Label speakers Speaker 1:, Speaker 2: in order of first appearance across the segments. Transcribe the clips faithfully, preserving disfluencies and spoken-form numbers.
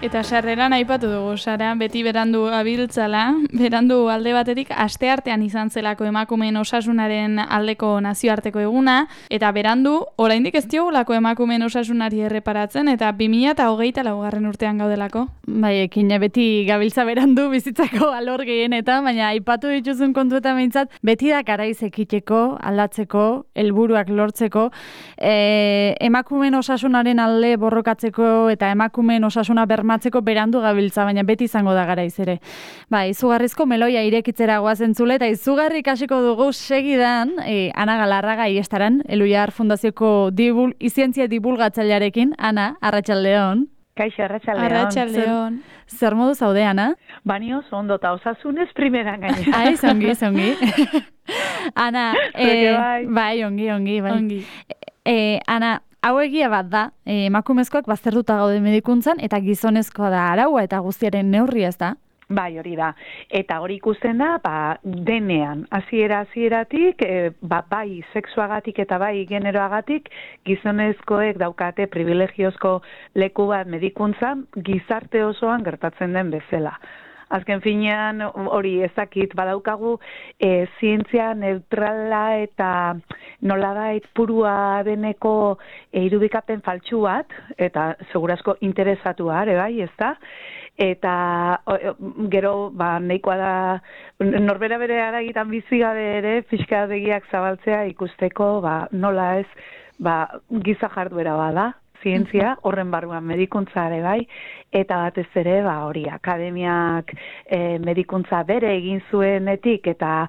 Speaker 1: Eta sarreran aipatu dugu, Sara, beti berandu abiltzala, berandu alde batetik asteartean izan zelako emakumeen osasunaren aldeko nazioarteko eguna, eta berandu oraindik ez diogulako emakumeen osasunari erreparatzen, eta bi mila hogeita laugarren urtean gaudelako.
Speaker 2: Bai, ekin beti gabiltza berandu bizitzako alor gehienetan, baina aipatu dituzun kontuetan behintzat, beti da garaiz ekiteko, aldatzeko, helburuak lortzeko, e, emakumeen osasunaren alde borrokatzeko eta emakumeen osasuna bermatzeko berandu gabiltza, baina beti izango da garaiz ere. Ba, izugarrizko meloia irekitzera goazen zule, eta izugarri ikasiko dugu segidan, e, Ana Galarraga iestaran, Eluiar Fundazioko dibul, izientzia divulgatzailearekin. Ana, arratsaldeon.
Speaker 3: Kaixo, arratsaldeon.
Speaker 1: Arratsaldeon.
Speaker 2: Zer, zer modu zaude, Ana?
Speaker 3: Bani oso ondo eta osasunez primeran gainera.
Speaker 2: Ai, zongi, zongi. Ana,
Speaker 3: eh, bai.
Speaker 2: bai, ongi, ongi, bai.
Speaker 1: Ongi.
Speaker 2: Eh, Ana, hau egia bat da, eh, emakumezkoak baztertuta gaude medikuntzan, eta gizonezkoa da araua eta guztiaren neurria, ez da?
Speaker 3: Bai, hori da. Eta hori ikusten da, ba, denean, hasiera hasieratik, e, ba, bai sexuagatik eta bai generoagatik, gizonezkoek daukate privilegiozko leku bat medikuntzan, gizarte osoan gertatzen den bezala. Azken finean hori ezakit badaukagu e, zientzia neutrala eta nolabait purua deneko e, irudikapen faltsu bat, eta segurazko interesatua ere bai, ez da? Eta o, gero ba, nahikoa da norbera bere aragitan bizi gabe ere pixka begiak zabaltzea ikusteko ba, nola ez ba, giza jarduera bada. Zientzia, horren barruan medikuntza ere bai, eta batez ere, ba, hori, akademiak e, medikuntza bere egin zuenetik, eta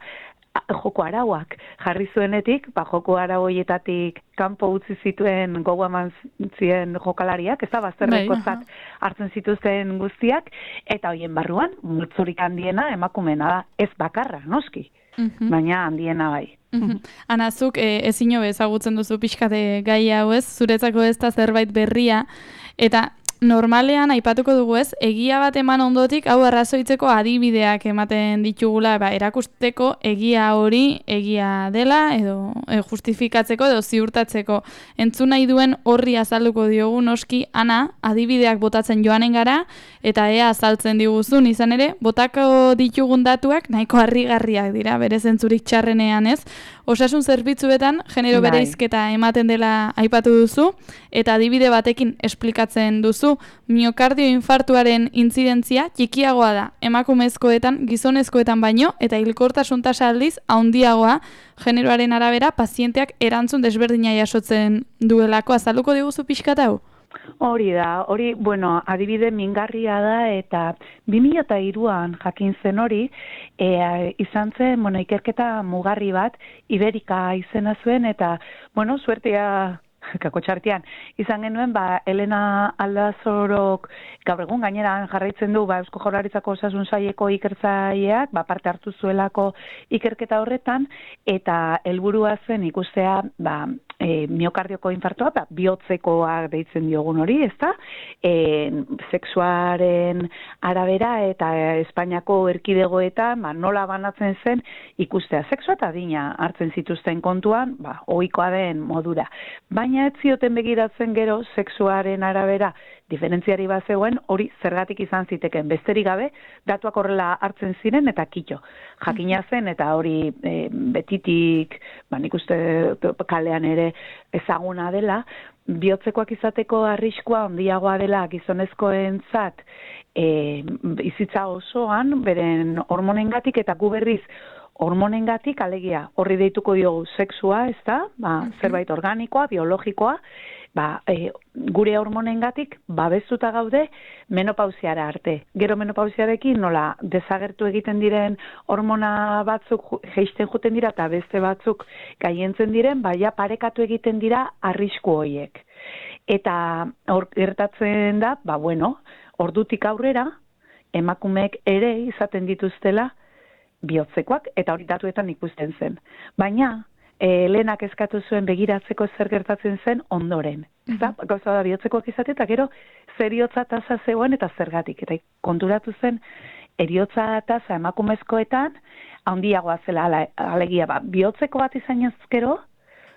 Speaker 3: joko arauak jarri zuenetik, ba, joko arau horietatik kanpo utzi zituen gogo eman zien jokalariak, ez da, bazterrekozat hartzen zituzten guztiak, eta horien barruan, multzurik handiena emakumena da, ez bakarra, noski,
Speaker 1: Mhm.
Speaker 3: baina handiena bai.
Speaker 1: Mhm. Ana, zuk e, ezin hobe ezagutzen duzu pixkate gai hau ez, zuretzako ez da zerbait berria, eta normalean aipatuko dugu ez, egia bat eman ondotik hau arrazoitzeko adibideak ematen ditugula, ba, erakusteko egia hori egia dela, edo e, justifikatzeko edo ziurtatzeko. Entzun nahi duen horri azalduko diogu noski, Ana, adibideak botatzen joanen gara, eta ea azaltzen diguzun, izan ere, botako ditugun datuak nahiko harrigarriak dira, bere zentzurik txarrenean ez. Osasun zerbitzuetan genero
Speaker 3: Bai.
Speaker 1: bereizketa ematen dela aipatu duzu, eta adibide batekin esplikatzen duzu, miokardio infartuaren intzidentzia txikiagoa da emakumezkoetan, gizonezkoetan baino, eta hilkortasun tasa aldiz handiagoa generoaren arabera pazienteak erantzun desberdina jasotzen duelako. Azalduko diguzu pixkat hau?
Speaker 3: Hori da, hori, bueno, adibide mingarria da, eta bi mila hiruan jakin zen hori, e, izan zen, bueno, ikerketa mugarri bat, Iberika izena zuen, eta, bueno, suertea, kako txartian, izan genuen, ba, Elena Aldazorok, gaur egun gaineran jarraitzen du, ba, Eusko Jaurlaritzako Osasun Saileko ikertzaileak, ba, parte hartu zuelako ikerketa horretan, eta helburua zen ikustea, ba, e, miokardioko infartoa, ba, bihotzekoa deitzen diogun hori, ezta? E, sexuaren arabera eta Espainiako erkidegoetan, ba, nola banatzen zen ikustea. Sexua eta adina hartzen zituzten kontuan, ba, ohikoa den modura. Baina ez zioten begiratzen gero sexuaren arabera diferentziari bat zegoen, hori zergatik izan ziteken. Besterik gabe, datuak horrela hartzen ziren eta kito. Jakina zen eta hori e, betitik, ba, nik uste kalean ere ezaguna dela, bihotzekoak izateko arriskua handiagoa dela gizonezkoentzat e, bizitza osoan, beren hormonengatik eta gu berriz hormonengatik, alegia, horri deituko diogu sexua, ez da, ba, zerbait organikoa, biologikoa, ba, e, gure hormonengatik babestuta gaude menopausiara arte. Gero menopausiarekin nola desagertu egiten diren hormona batzuk jeisten juten dira eta beste batzuk gaientzen diren, baina parekatu egiten dira arrisku horiek. Eta hor gertatzen da, ba bueno, ordutik aurrera emakumeek ere izaten dituztela bihotzekoak, eta hori datuetan ikusten zen. Baina, e, lehenak eskatu zuen begiratzeko zer gertatzen zen ondoren. Ez da, gauza da bihotzekoak izate, eta gero zeriotza tasa zegoen eta zergatik. Eta konturatu zen, eriotza tasa emakumezkoetan, handiagoa zela, ale, alegia, ba, bihotzeko bat izan ezkero,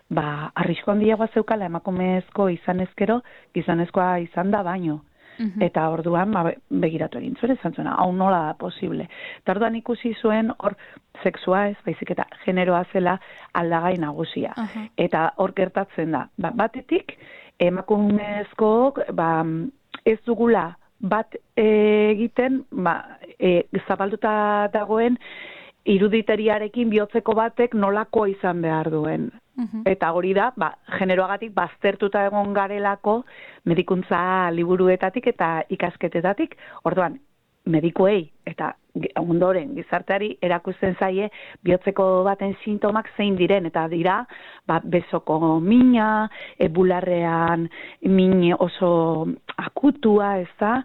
Speaker 3: ba, arrisko handiagoa zeukala emakumezko izan ezkero, gizonezkoa izan da baino. Mhm. Eta orduan, ba, begiratu egin zuen, esan zuena, hau nola da posible. Eta orduan ikusi zuen, hor, sexua ez, baizik eta generoa zela aldagai nagusia.
Speaker 1: Aha.
Speaker 3: Eta hor gertatzen da, ba, batetik, emakumezkook, ba, ez dugula bat egiten, ba, e, zabalduta dagoen, iruditeriarekin bihotzeko batek nolakoa izan behar duen.
Speaker 1: Mhm.
Speaker 3: Eta hori da, ba, generoagatik baztertuta egon garelako medikuntza liburuetatik eta ikasketetatik. Orduan, medikuei eta ondoren gizarteari erakusten zaie bihotzeko baten sintomak zein diren, eta dira, ba, bezoko mina, e, bularrean min oso akutua, ez da,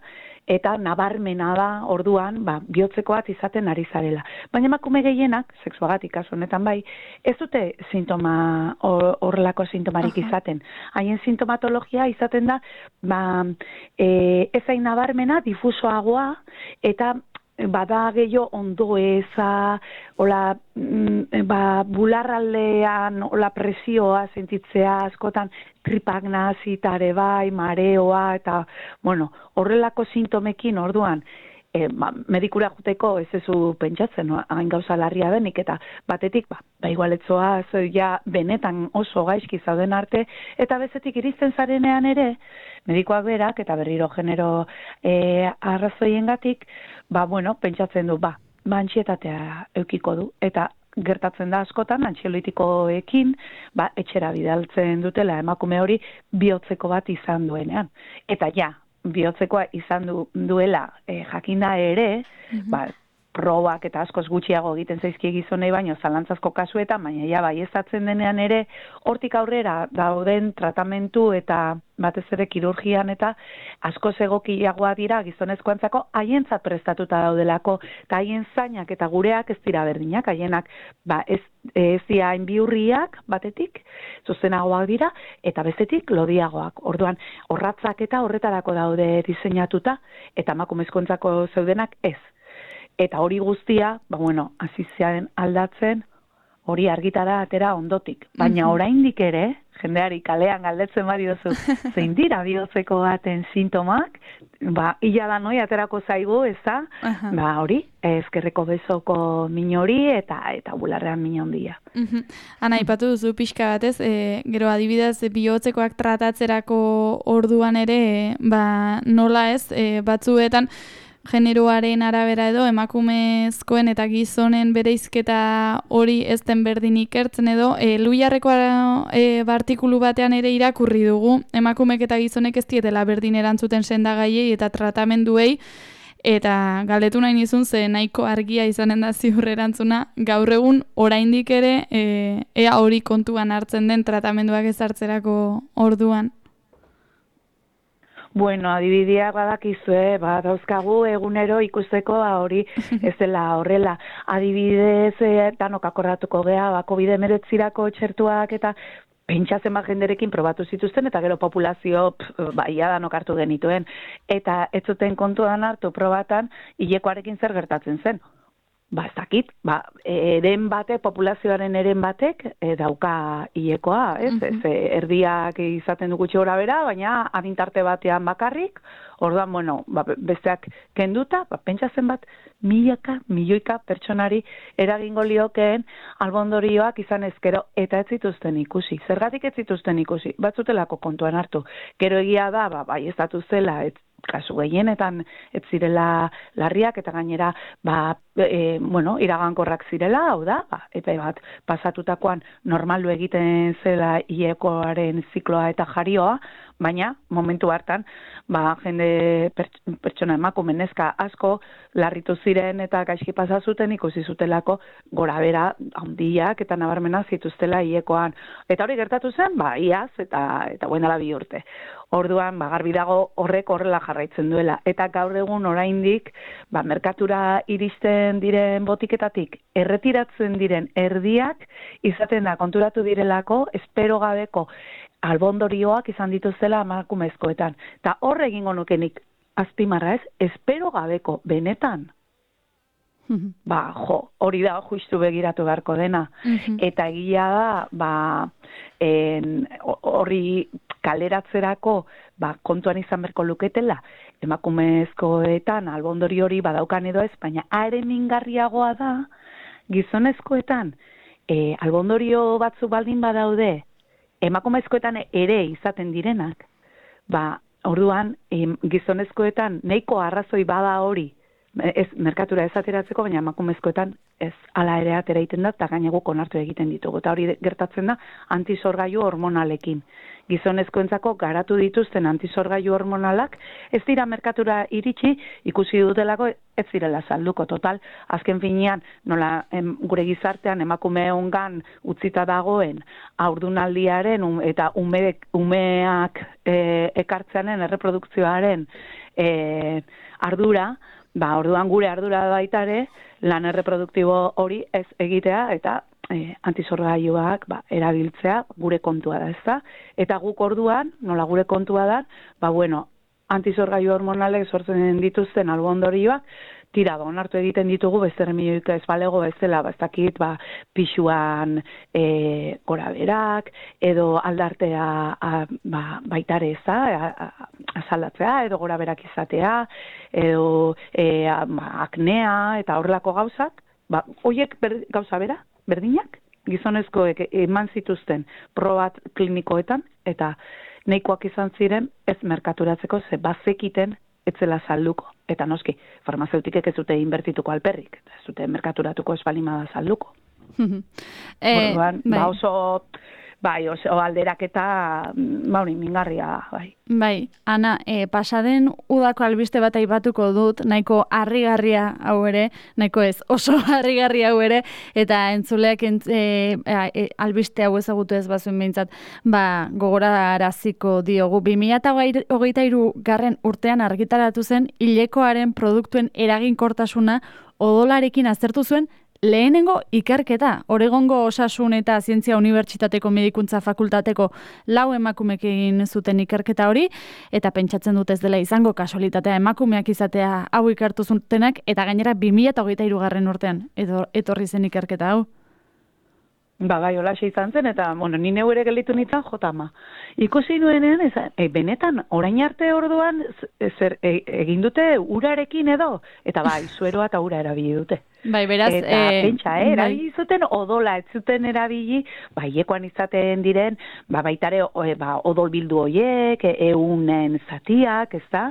Speaker 3: eta nabarmena da orduan, ba, bihotzeko bat izaten ari zarela. Baina emakume gehienak, sexuagatik kasu honetan bai, ez dute sintoma, horrelako sintomarik
Speaker 1: Aha.
Speaker 3: izaten. Haien sintomatologia izaten da, ba, e, ezain nabarmena, difusoagoa, eta bada gehiago ondo eza, hola, mm, ba, bularraldean, hola, presioa sentitzea askotan, tripak nazitare bai, mareoa, eta, bueno, horrelako sintomekin orduan, e, ba, medikura juteko ez ezu pentsatzen, no? Hain gauza larria denik, eta batetik, ba, ba igualetzoa, ja, benetan oso gaizki zauden arte, eta bezetik iristen zarenean ere, medikoak berak, eta berriro genero e, arrazoiengatik, ba, bueno, pentsatzen du, ba, ba, antsietatea eukiko du, eta gertatzen da askotan, antxiolitikoekin, ba, etxera bidaltzen dutela emakume hori bihotzeko bat izan duenean. Eta ja, bihotzekoa izan du, duela e, jakinda ere,
Speaker 1: Mhm.
Speaker 3: ba, probak eta askoz gutxiago egiten zaizkie gizonei baino zalantzazko kasuetan, baina ja baieztatzen denean ere, hortik aurrera dauden tratamentu eta batez ere kirurgian eta askoz egokiagoa dira gizonezkoentzako haientzat prestatuta daudelako, eta haien zainak eta gureak ez dira berdinak, haienak ba, ez, ez dira biurriak batetik, zuzenagoak dira, eta bestetik lodiagoak. Orduan, orratzak eta horretarako daude diseinatuta, eta emakumezkoentzako zeudenak ez. Eta hori guztia, ba bueno, hasi ziren aldatzen, hori argitara atera ondotik. Baina oraindik ere, jendeari kalean galdetzen bari duzu, zein dira bihotzeko baten sintomak, ba, illa da noi aterako zaigu, ez da, ba hori, ezkerreko bezoko min hori eta eta bularrean min handia.
Speaker 1: Mhm. Ana, aipatu duzu pixka batez, e, gero adibidez bihotzekoak tratatzerako orduan ere, ba, nola ez, e, batzuetan, generoaren arabera edo emakumezkoen eta gizonen bereizketa hori ez den berdin ikertzen edo e, Luiarreko e, artikulu batean ere irakurri dugu emakumek eta gizonek ez dietela berdin erantzuten sendagaiei eta tratamenduei, eta galdetu nahi nizun ze nahiko argia izanen da ziur erantzuna gaur egun oraindik ere e, ea hori kontuan hartzen den tratamenduak ezartzerako orduan.
Speaker 3: Bueno, adibideak badakizue, ba, dauzkagu egunero ikusteko hori ez dela horrela. Adibidez, e, danok akorratuko gea, ba, covid hemeretzirako txertuak eta pentsatzen bat jenderekin probatu zituzten, eta gero populazio, pff, ba, ia danok hartu genituen. Eta ez zuten kontuan hartu probatan, hilekoarekin zer gertatzen zen. Ba, ez dakit, ba, eren batek, populazioaren eren batek, e, dauka hilekoa, ez?
Speaker 1: Mhm.
Speaker 3: Ez, erdiak izaten du gutxi gora bera, baina adintarte batean bakarrik, orduan, bueno, ba, besteak kenduta, ba, pentsatzen bat, milaka, milioika pertsonari eragingo liokeen albondorioak izan ezkero, eta ez zituzten ikusi. Zergatik ez zituzten ikusi? Batzutelako kontuan hartu. Gero egia da, ba, bai ez datu zela, ez, kasu gehienetan ez zirela larriak, eta gainera, ba, e, bueno, iragankorrak zirela, hau da, ba, epe bat pasatutakoan normaldu egiten zela hilekoaren zikloa eta jarioa, baina momentu hartan, ba, jende pertsona emakume neska asko larritu ziren eta gaizki pasa zuten ikusi zutelako gorabera handiak eta nabarmena zituztela hilekoan. Eta hori gertatu zen, ba, iaz eta eta buen dela bi urte. Orduan, ba, garbi dago horrek horrela jarraitzen duela. Eta gaur egun oraindik, ba, merkatura iristen diren botiketatik erretiratzen diren erdiak izaten da konturatu direlako espero gabeko albondorioak izan dituzela emakumezkoetan. Eta hor egingo nukenik azpimarra ez, espero gabeko benetan. Ba, jo, hori da justu begiratu beharko dena. Eta egia da, ba, en, horri kaleratzerako ba, kontuan izan berko luketela, emakumezkoetan albondori hori badaukan edo ez, baina are mingarriagoa da, gizonezkoetan e, albondorio batzu baldin badaude, emakumezkoetan ere izaten direnak, ba, orduan, em, gizonezkoetan nahiko arrazoi bada hori, ez merkatura ez ateratzeko, baina emakumezkoetan ez ala ere atera egiten da, eta gainaguk onartu egiten ditugu. Eta hori gertatzen da antisorgailu hormonalekin. Gizonezkoentzako garatu dituzten antisorgailu hormonalak ez dira merkatura iritsi, ikusi dutelako ez direla salduko. Total, azken finean, nola em, gure gizartean emakumeongan utzita dagoen haurdunaldiaren um, eta umeek, umeak e, ekartzeanen erreprodukzioaren e, ardura, ba, orduan gure ardura baitare, lan erreproduktibo hori ez egitea eta e, antisorgailuak ba, erabiltzea gure kontua da, ezta? Eta guk orduan, nola gure kontua da, ba, bueno, antisorgailu hormonalek sortzen dituzten albondorioak, tira, ba, onartu egiten ditugu, beste remedioik ez balego bezala, ba, ez dakit, ba, pixuan e, gora berak, edo aldartea a, ba, baitare eza, azaldatzea, edo gora berak izatea, edo e, a, ba, aknea, eta horrelako gauzak, ba, hoiek ber, gauza bera, berdinak, gizonezkoek eman zituzten probat klinikoetan, eta nahikoak izan ziren ez merkaturatzeko ze bazekiten etzela salduko. Eta noski, farmazeutikek ez dute inbertituko alperrik, ez dute merkaturatuko espalimada salduko.
Speaker 2: e,
Speaker 3: Orduan,
Speaker 2: bai.
Speaker 3: ba oso, bai, oso alderaketa, ba hori, mingarria, bai.
Speaker 2: Bai, Ana, e, pasaden udako albiste bat aipatuko dut, nahiko harrigarria hau ere, nahiko ez, oso harrigarria hau ere, eta entzuleak ent, e, e, albiste hau ezagutu ez bazuen behintzat, ba, gogoraraziko diogu. bi mila hogeita hiru garren urtean argitaratu zen, hilekoaren produktuen eraginkortasuna odolarekin aztertu zuen lehenengo ikerketa. Oregongo Osasun eta Zientzia Unibertsitateko Medikuntza Fakultateko lau emakumek egin zuten ikerketa hori, eta pentsatzen dut ez dela izango kasualitatea emakumeak izatea hau ikertu zutenak, eta gainera bi mila hogeita hiru garren urtean edo etorri zen ikerketa hau.
Speaker 3: Ba, bai, holaxe izan zen, eta, bueno, ni neu ere gelditu nintzen jotama. Ikusi nuenean, ez, e, benetan, orain arte orduan, zer, e, egin dute urarekin edo, eta bai, sueroa eta ura erabili dute.
Speaker 2: Bai, beraz,
Speaker 3: eta
Speaker 2: e,
Speaker 3: pentsa, eh, erabili zuten odola, ez zuten erabili, ba, hiekoan izaten diren, ba, baitare, o, e, ba, odol bildu hoiek, e, eunen zatiak, ez da,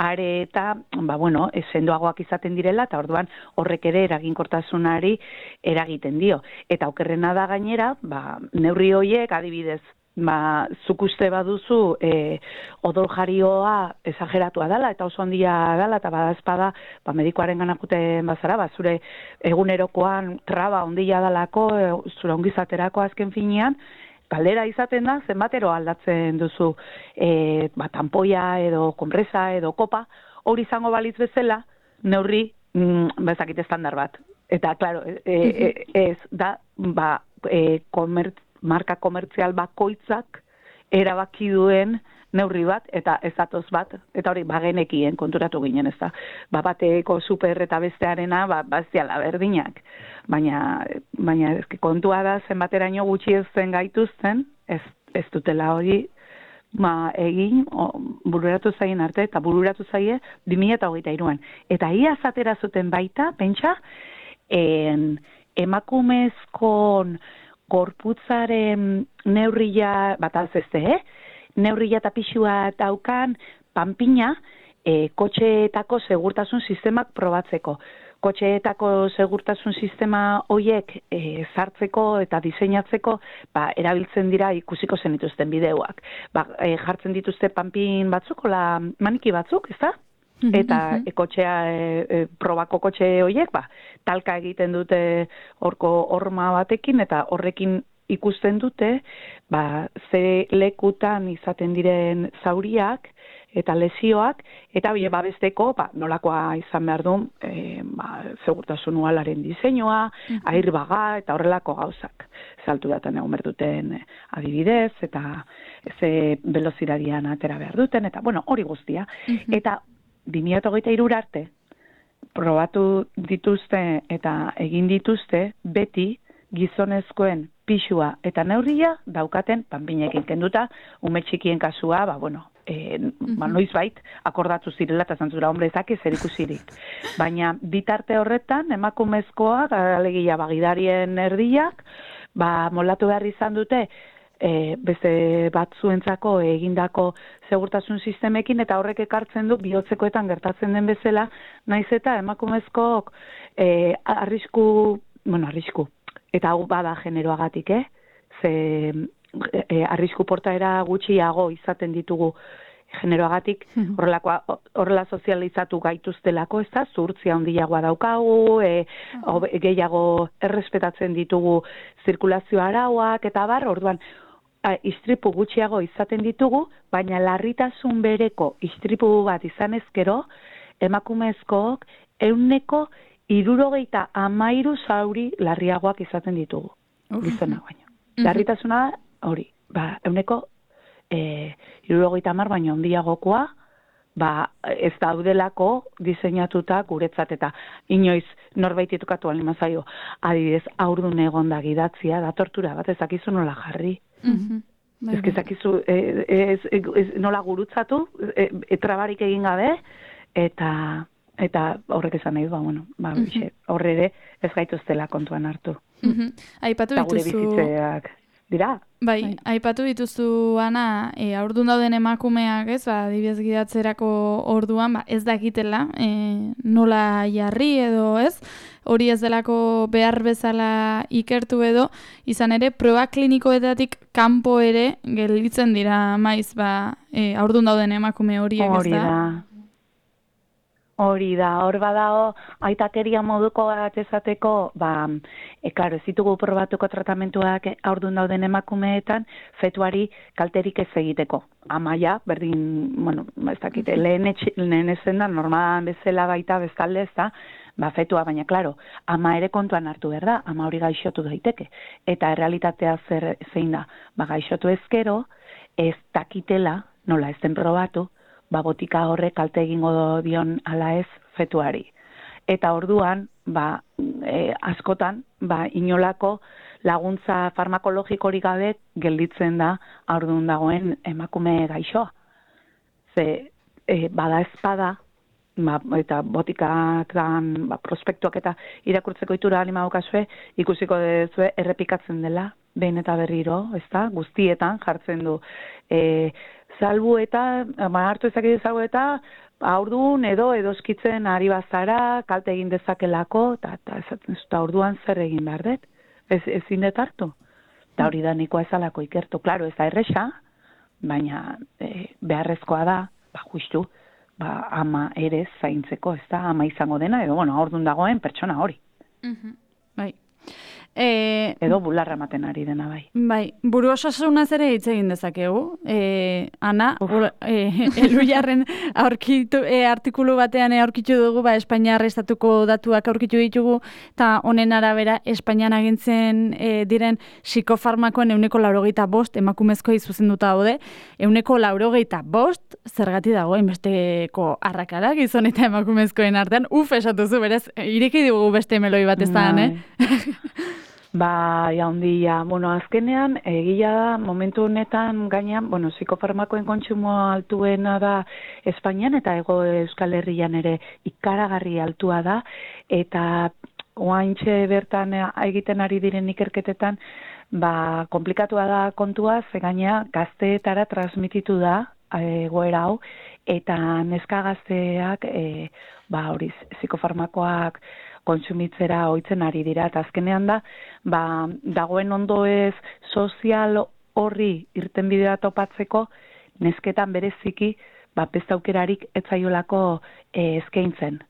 Speaker 3: are eta, ba, bueno, sendoagoak izaten direla, eta orduan horrek ere eraginkortasunari eragiten dio. Eta okerrena da gainera, ba, neurri hoiek, adibidez, ba, zuk uste baduzu e, odol jarioa esageratua dela, eta oso handia dela, eta badazpada, ba, medikoaren ganakuten bazara, ba, zure egunerokoan traba handia dalako, e, zure ongizaterako azken finean, galdera izaten da, zenbatero aldatzen duzu e, ba, tampoia edo konpresa edo kopa, hori izango balitz bezala, neurri, mm, bezakit estandar bat. Eta, klaro, e, e, ez da, ba, e, komertz, marka komertzial bakoitzak erabaki duen neurri bat, eta ez datoz bat, eta hori bagenekien konturatu ginen, ez da. Ba, bateko super eta bestearena, ba, baztiala berdinak. Baina, baina kontua da zenbateraino gutxi ez zen gaituzten, ez, ez dutela hori ma, egin, o, bururatu zaien arte, eta bururatu zaie bi mila hogeita hiruan. Eta ia zatera zuten baita, pentsa, en, emakumezkon gorputzaren neurria, bat alzezte, eh? Neurria eta pixua daukan panpina e, kotxeetako segurtasun sistemak probatzeko. Kotxeetako segurtasun sistema hoiek e, zartzeko eta diseinatzeko ba, erabiltzen dira ikusiko zenituzten bideoak. Ba, e, jartzen dituzte panpin batzuk, ola maniki batzuk, ez da? Eta e, kotxea, e, e, probako kotxe horiek, ba, talka egiten dute horko horma batekin, eta horrekin ikusten dute, ba, ze lekutan izaten diren zauriak, eta lesioak, eta bie babesteko, ba, nolakoa izan behar du, e, ba, segurtasun ualaren diseinua, airbaga, eta horrelako gauzak. Zaltu daten egon behar duten adibidez, eta ze velozidadian atera behar duten, eta, bueno, hori guztia. Eta bi mila hogeita hiru arte, probatu dituzte eta egin dituzte beti gizonezkoen pisua eta neurria daukaten panpinekin kenduta, ume txikien kasua, ba, bueno, e, ba, noiz bait, akordatu zirela eta zantzura hombrezak ez erikusirik. Baina bitarte horretan, emakumezkoak, alegia bagidarien erdiak, ba, molatu behar izan dute, e, beste batzuentzako egindako segurtasun sistemekin, eta horrek ekartzen du bihotzekoetan gertatzen den bezala, naiz eta emakumezkoak e, arrisku, bueno, arrisku, eta hau bada generoagatik, eh? Ze e, arrisku portaera gutxiago izaten ditugu generoagatik, horrelakoa, horrela sozializatu gaituztelako, ez da, zuhurtzia handiagoa daukagu, e, obe, gehiago errespetatzen ditugu zirkulazio arauak, eta bar, orduan, a, istripu gutxiago izaten ditugu, baina larritasun bereko istripu bat izan ezkero, emakumezkook euneko hirurogeita hamairu zauri larriagoak izaten ditugu. Gizona baino. Larritasuna hori, ba, euneko e, hirurogeita hamar baino handiagokoa, ba, ez daudelako diseinatuta guretzat eta inoiz norbait itukatu alima zaio, adibidez, haurdun egonda gidatzia, da tortura bat ezakizu nola jarri. Ez ezakizu e, ez, ez, nola gurutzatu, e, e, trabarik egin gabe, eta eta horrek esan nahi du, ba, bueno, ba, mm-hmm. horre ere ez gaituztela kontuan hartu.
Speaker 1: Mm-hmm. Aipatu
Speaker 3: eta gure
Speaker 1: dituzu...
Speaker 3: bizitzeak dira.
Speaker 1: Bai, bai, aipatu dituzu, Ana, e, aurdun dauden emakumeak, ez, ba, adibidez gidatzerako orduan, ba, ez dakitela, e, nola jarri edo, ez, hori ez delako behar bezala ikertu edo, izan ere, proba klinikoetatik kanpo ere gelditzen dira, maiz, ba, e, aurdun dauden emakume horiek, ez da?
Speaker 3: Hori da. Hori da, hor badao, aitakeria moduko bat esateko, ba, e, klaro, ez ditugu probatuko tratamentuak haurdun dauden emakumeetan, fetuari kalterik ez egiteko. Amaia, berdin, bueno, ez dakite, lehen, etxe, lehen ezen da, normalan bezala baita bezalde ez da, ba, fetua, baina, klaro, ama ere kontuan hartu behar da, ama hori gaixotu daiteke. Eta errealitatea zer, zein da, ba, gaixotu ezkero, ez dakitela, nola ez den probatu, ba, botika horrek kalte egingo dion ala ez fetuari. Eta orduan, ba, e, askotan, ba, inolako laguntza farmakologikorik gabe gelditzen da haurdun dagoen emakume gaixoa. Ze, e, bada ezpada, ba, eta botikak dan, ba, prospektuak eta irakurtzeko itura anima daukazue, ikusiko dezue errepikatzen dela, behin eta berriro, ezta, guztietan jartzen du. E, Salbu eta, ma hartu ezakit salbu eta, haurdun edo edoskitzen ari bazara, kalte egin dezakelako, eta orduan zer egin behar dut, ez, ezin dut hartu. Eta hori da nikoa ezalako ikertu. Klaro, ez da erresa, baina e, beharrezkoa da, ba, justu, ba, ama ere zaintzeko, ez da, ama izango dena, edo, bueno, haurdun dagoen pertsona hori.
Speaker 2: Uh-huh. Bai. E,
Speaker 3: edo bularra ematen ari dena bai.
Speaker 2: Bai, buru osasunaz ere hitz egin dezakegu. E, Ana, e, Elujarren aurkitu, e, artikulu batean aurkitu dugu, ba, Espainiar estatuko datuak aurkitu ditugu, eta honen arabera Espainian agintzen e, diren psikofarmakoen euneko laurogeita bost, emakumezkoa zuzenduta daude, euneko laurogeita bost, zergati dago, enbesteko arrakala, gizon eta emakumezkoen artean, uf, esatuzu, berez, ireki dugu beste meloi bat ez da, eh?
Speaker 3: Ba, jaundia, bueno, azkenean, egia da, momentu honetan gainean, bueno, psikofarmakoen kontsumo altuena da Espainian eta Hego Euskal Herrian ere ikaragarri altua da, eta oaintxe bertan egiten ari diren ikerketetan, ba, komplikatua da kontua, ze gainea gazteetara transmititu da egoera hau, eta neska gazteak, e, ba, hori, psikofarmakoak kontsumitzera ohitzen ari dira, eta azkenean da, ba, dagoen ondoez sozial horri irtenbidea topatzeko, nesketan bereziki, ba, beste aukerarik etzaiolako e, eskaintzen.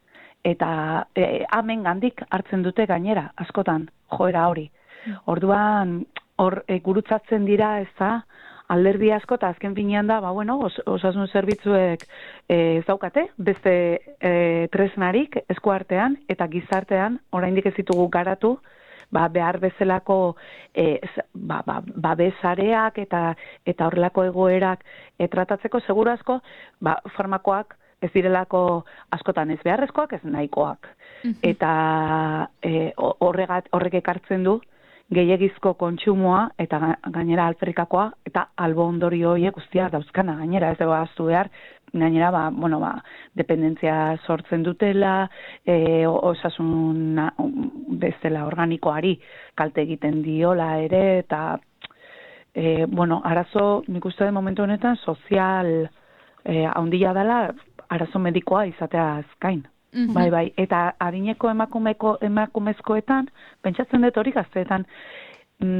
Speaker 3: Eta e, amen gandik hartzen dute gainera, askotan, joera hori. Orduan, hor e, gurutzatzen dira, ez da, alderdi asko, eta azken finean da, ba, bueno, os, osasun zerbitzuek ez daukate, beste e, tresnarik eskuartean eta gizartean, oraindik ez ditugu garatu, ba, behar bezalako e, ba, ba, babesareak eta eta horrelako egoerak e, tratatzeko seguru asko, ba, farmakoak ez direlako askotan ez beharrezkoak, ez nahikoak. Eta e, horregat, horrek ekartzen du, gehiagizko kontsumoa eta gainera alferrikakoa eta albo ondorio horiek guztia dauzkana gainera, ez dago ahaztu behar, gainera ba, bueno, ba, dependentzia sortzen dutela, e, osasun bezala organikoari kalte egiten diola ere, eta e, bueno, arazo, nik uste den momentu honetan, sozial e, handia dela, arazo medikoa izatea azkain. Mm-hmm. Bai, bai, eta adineko emakumeko, emakumezkoetan, pentsatzen dut hori gazteetan,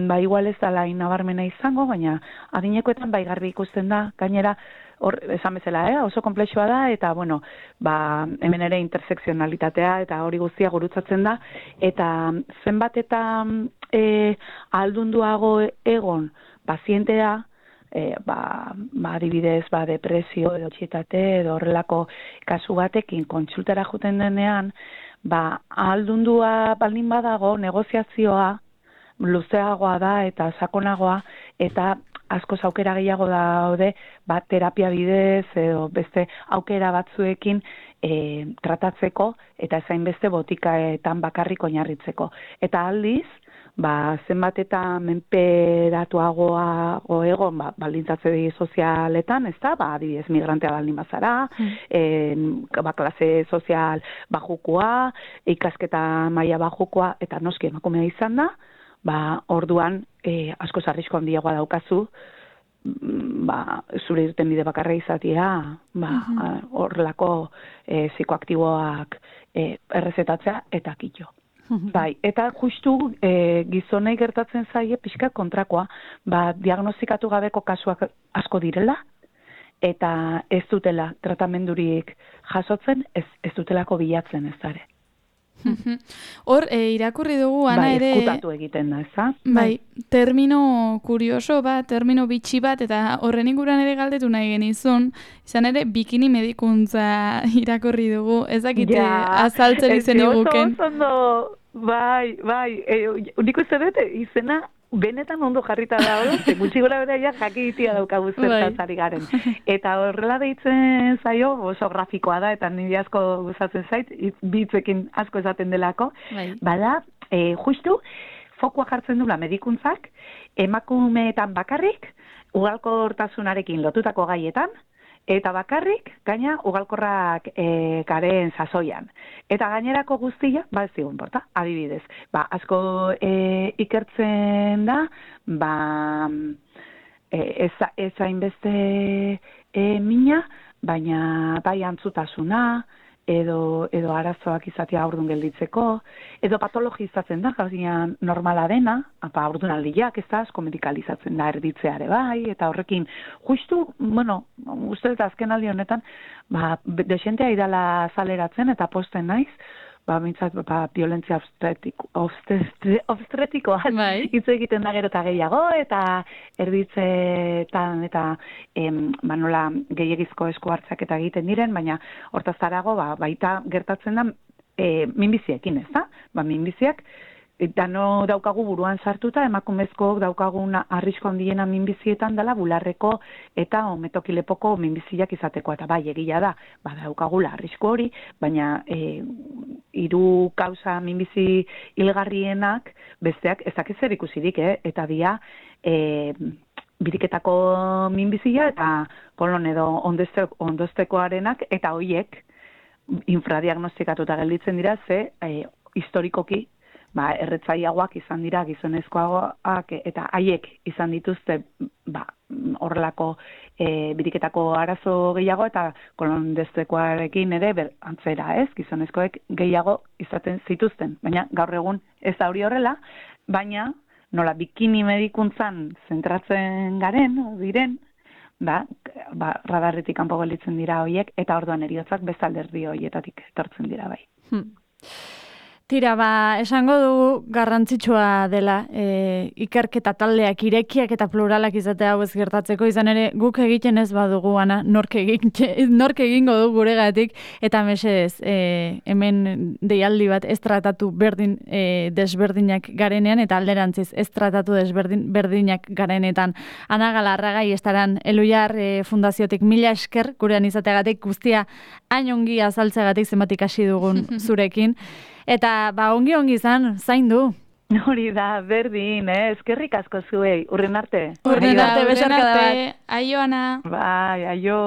Speaker 3: ba, igual ez dela inabarmena izango, baina adinekoetan bai garbi ikusten da, gainera, hor, esan bezala, eh? Oso komplexua da, eta, bueno, ba, hemen ere intersekzionalitatea, eta hori guztia gurutzatzen da, eta zenbat eta e, aldunduago egon pazientea, E, ba, ba, adibidez, ba, depresio edo txietate edo horrelako kasu batekin kontsultara juten denean, ba, ahaldundua baldin badago negoziazioa luzeagoa da eta sakonagoa eta askoz aukera gehiago daude ba, terapia bidez edo beste aukera batzuekin e, tratatzeko eta ezain beste botikaetan bakarrik oinarritzeko. Eta aldiz, ba, zenbat eta menperatuagoa egon, ba, baldintzatze sozialetan, ez da, ba, adibidez, migrantea baldin bazara, mm. en, ba, klase sozial bajukoa, ikasketa maila bajukoa, eta noski emakumea izan da, ba, orduan, e, asko zarrizko handiagoa daukazu, ba, zure irten bide bakarra izatea, ba, horrelako e, psikoaktiboak e, errezetatzea eta kitxo. Bai, eta justu e, gizonei gertatzen zaie pixka kontrakoa, ba, diagnostikatu gabeko kasuak asko direla, eta ez dutela tratamendurik jasotzen, ez, ez dutelako bilatzen ez dare.
Speaker 1: Hor, e, irakurri dugu, Ana, ere...
Speaker 3: Bai, eskutatu egiten da, ez da?
Speaker 1: Bai, termino kurioso bat, termino bitxi bat, eta horren inguruan ere galdetu nahi genizun, izan ere, bikini medikuntza irakurri dugu, ezakite ja, azaltzen izen iguken.
Speaker 3: Oso ondo, bai, bai, e, unik uste dut, izena benetan ondo jarrita da hori, ze gutxi gora bera ja jakitia daukagu zertaz ari garen. Eta horrela deitzen zaio, oso grafikoa da, eta nire asko gustatzen zait, bitzekin asko esaten delako, bai. Bada, e, justu, fokua jartzen dula medikuntzak, emakumeetan bakarrik, ugalkortasunarekin lotutako gaietan, eta bakarrik, gaina, ugalkorrak e, garen sasoian. Eta gainerako guztia, ba ez zigun porta, adibidez. Ba, asko e, ikertzen da, ba, e, ez, ez hainbeste e, mina, baina bai antzutasuna, edo, edo arazoak izatea aurdun gelditzeko, edo patologizatzen da, gazian normala dena, apa aurdun aldiak ez da, asko medikalizatzen da erditzeare bai, eta horrekin, justu, bueno, uste eta azken aldi honetan, ba, desentea idala azaleratzen eta posten naiz, ba, mintzat, ba, violentzia obstetikoa hitz egiten da gero eta gehiago, eta erditzetan, eta em, ba, nola gehiagizko esku hartzak eta egiten diren, baina hortaz zarago, ba, baita gertatzen da e, minbiziekin, ez da? Ba, minbiziak, eta no daukagu buruan sartuta, emakumezko daukagun arrisko handiena minbizietan dela bularreko eta ometokilepoko minbiziak izateko, eta bai, egia da, ba, daukagula arrisko hori, baina e, hiru kausa minbizi hilgarrienak besteak ezak ezer ikusirik, eh? Eta dia e, biriketako minbizia eta kolon edo ondoztekoarenak, eta hoiek infradiagnostikatuta gelditzen dira, ze e, historikoki ba, erretzaiagoak izan dira gizonezkoagoak eta haiek izan dituzte ba, horrelako e, biriketako arazo gehiago eta kolondestekoarekin ere ber, antzera ez, gizonezkoek gehiago izaten zituzten. Baina gaur egun ez da hori horrela, baina nola bikini medikuntzan zentratzen garen, diren, ba, ba, radarretik kanpo gelditzen dira horiek eta orduan heriotzak bestalderdi horietatik etortzen dira bai. Hmm.
Speaker 2: Tira, ba, esango dugu garrantzitsua dela e, ikerketa taldeak irekiak eta pluralak izatea hau ez gertatzeko, izan ere guk egiten ez badugu, ana, nork, egin, nork egingo du guregatik, eta mesedez, e, hemen deialdi bat ez tratatu berdin e, desberdinak garenean, eta alderantziz ez tratatu desberdin berdinak garenetan. Ana Galarraga estaran Eluiar e, fundaziotik mila esker gurean izateagatik, guztia hain ongi azaltzeagatik zenbatik hasi dugun zurekin. Eta, ba, ongi-ongi izan, zain du.
Speaker 3: Hori da, berdin, eh? Eskerrik asko zuei, urren arte.
Speaker 2: Urren arte, besarkada bat.
Speaker 1: Aio, Ana.
Speaker 3: Bai, aio.